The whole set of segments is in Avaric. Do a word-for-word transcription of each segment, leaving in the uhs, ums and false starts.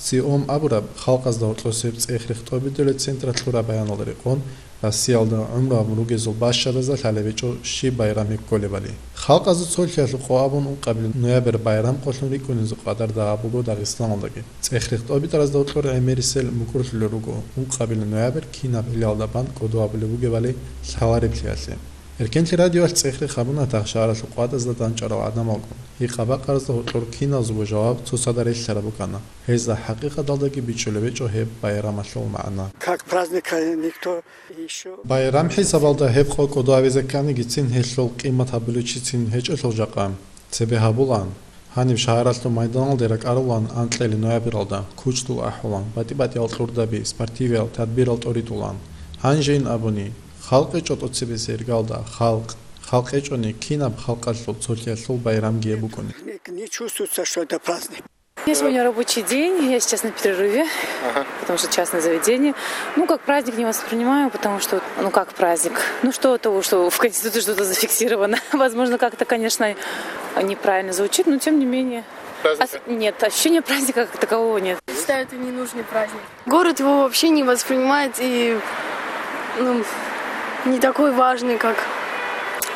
ЦИОМ абураб халкъазда гьоркьосеб цӀех-рех тӀобитӀулел централъ лъураб баяналда рекъон, Россиялда гӀумру гьабун ругезул бащадазда лъалеб гьечӀо щиб байрам гьеб кколебали. Халкъазул цолъиялъул къо абун ункъабилеб ноябрь байрам къолъун рикӀкӀунезул къадарда гьабуго Дагъистаналдаги. ЦӀех-рех тӀобитӀаразда гьоркьор гӀемерисел мукӀурлъулел руго, ункъабилеб ноябрь кинаб гьелалда бан кӀодо гьабулеб бугебали лъалареблъиялъе. Эркенлъи радиоялъ цӀех-рех гьабуна тахшагьаралъул къватӀазда дандчӀварал гӀадамалгун. Гьикъаб-бакъаразда гьоркьор киназулго жаваб цоцазда релълъараб букӀана. Гьезда хӀакъикъаталдаги бичӀчӀулеб гьечӀо гьеб байрамалъул магӀна. Как праздник, э, никто ещё Байрам хӀисабалда гьеб къо кӀодо гьабизе кканигицин гьелъул къимат гьабулевчицин гьечӀелъул жакъа. Цебе гьабулаан. Гьаниб шагьаралъул майданалде ракӀарулаан анкьили ноябралда, кучдул ахӀулаан, батӀи-батӀиял кьурдаби, спортивиял тадбирал тӀоритӀулаан. Гьанжейин абуни, халкъ гьечӀо тӀоцебесеб иргалда, халкъ. Халкъ гьечӀони, кинаб халкъалъул цолъиялъул байрамги гьеб букӀуни. Не, не чувствуется, что это праздник. У меня сегодня рабочий день, я сейчас на перерыве, Ага. потому что частное заведение. Ну, как праздник не воспринимаю, потому что, ну, как праздник? Ну, что от того, что в Конституции что-то зафиксировано? Возможно, как-то, конечно, неправильно звучит, но тем не менее. Праздника? Ос- нет, ощущения праздника как такового нет. Считаю, это ненужный праздник. Город его вообще не воспринимает, и, ну, не такой важный, как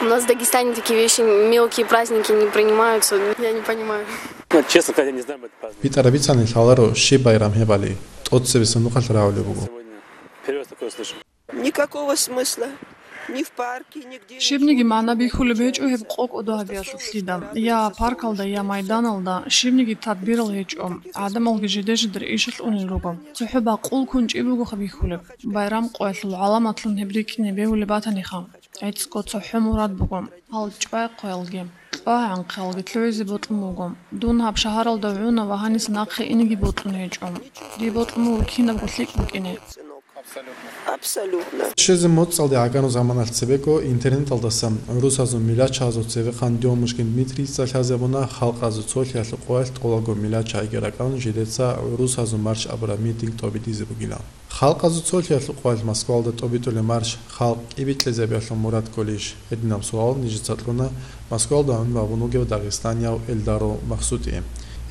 у нас в Дагестане такие вещи, мелкие праздники не принимаются. Я не понимаю. Ну, честно сказать, я не знаю об этом празднике. БитӀараб бицани лъаларо щиб байрам гьебали, тӀоцебесеб нухалъ рагӀулеб буго. Сегодня первый раз такое слышу. Никакого смысла. Ни в парке, нигде. Щибниги магӀна бихьулеб гьечӀо гьеб къо кӀодо гьабиялъулъ лъида. Я паркалда, я майданалда щибниги тадбирал гьечӀо. ГӀадамалги жиде-жидер ишалъ унел руго. ЦохӀо бакъул кунчӀи бугоха бихьулеб. Байрам къоялъул гӀаламатлъун гьеб рикӀкӀине бегьулеб батаниха. ГӀицӀго цохӀо мурад буго. Гьал чӀвай къоялги, кьвагӀанхъалги лъугӀизе бокьун буго. Дун гьаб шагьаралда гӀуна ва гьаниса нахъе инеги бокьун гьечӀо. Дие бокьун буго кинабго лъикӀ букӀине. Абсолютно. Щвезе моцӀалде гӀагану заманалъ цебего интернеталдасан гӀурусазул милачагьазул цевехъан Дёмушкин Дмитрийица лъазабуна халкъазул цолъиялъул къоялъ тӀолабго милачагьиги ракӀалъун жидеца гӀурусазул марш абураб митинг тӀобитӀизе бугилан. Халкъазул цолъиялъул къоялъ Москвалда тӀобитӀулеб марш халкъ кӀибикьезабиялъул мурад кколищ? Гьединаб суал нижеца кьуна Москвалда гӀумру гьабун вугев дагъистанияв Эльдаро Махсутие.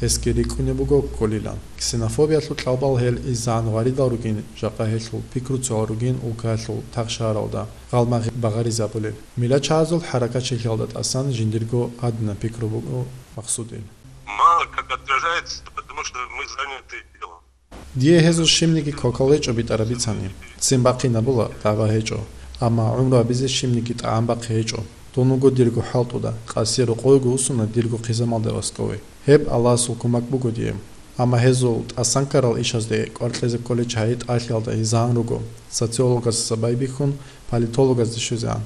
Гьесги рикӀкӀунеб буго кколилан. Ксенофобиялъул кьалбал гьел изегӀан гъваридал ругин, жакъа гьелъул пикруцоял ругин улкаялъул тахшагьаралда гъалмагъи багъаризабулел. Милачагьазул хӀаракатчилъиялда тӀасан жиндирго гьадинаб пикру буго Махсутил. Мало как отражается, потому что мы заняты делом. Дие гьезул щибниги кокал гьечӀо битӀараб бицани. Ццин бахъинабула, дагӀба гьечӀо. Амма гӀумру гьабизе щибниги тӀагӀам бахъи гьечӀо. Дун вуго дирго хӀалтӀуда, къаси рокъовего вуссуна дирго хъизамалде васкове. Гьеб Аллагьасул кумак буго дие. Амма гьезул тӀасан ккарал ишазде кӀвар кьезе кколел чагьи тӀалъиялда изегӀан руго, социологасдаса байбихьун, политологазде щвезегӀан.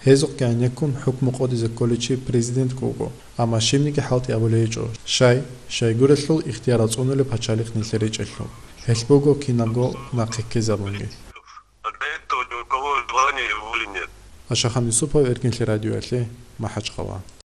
Гьезухъ гӀенеккун хӀукму къотӀизе кколев чи президентго вуго, амма щибниги хӀалтӀи абулей гьечӀо, щай, щайгурелъул ихтияр цӀунулеб пачалихъ нилъер речӀелъул. Гьелъ буго кинабго нахъе ккезабунги. Для этого ни у кого желания и воли нет. Ашахан Юсупов, Эркенлъи радиоялъе, МахӀачхъала.